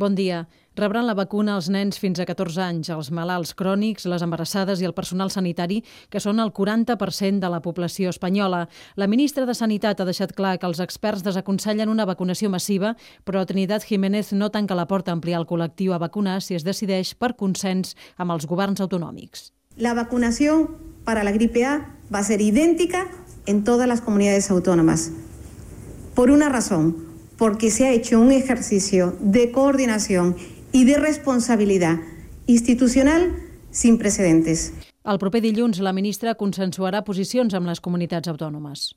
Bon dia. Rebran la vacuna els nens fins a 14 anys, els malalts crònics, les embarassades i el personal sanitari, que són el 40% de la població espanyola. La ministra de Sanitat ha deixat clar que els experts desaconsellen una vacunació massiva, però Trinidad Jiménez no tanca la porta a ampliar el col·lectiu a vacunar si es decideix per consens amb els governs autonòmics. La vacunación para la gripe A va a ser idéntica en todas las comunidades autónomas. Por una razón, porque se ha hecho un ejercicio de coordinación y de responsabilidad institucional sin precedentes. El proper dilluns, la ministra consensuarà posicions amb les comunitats autònomes.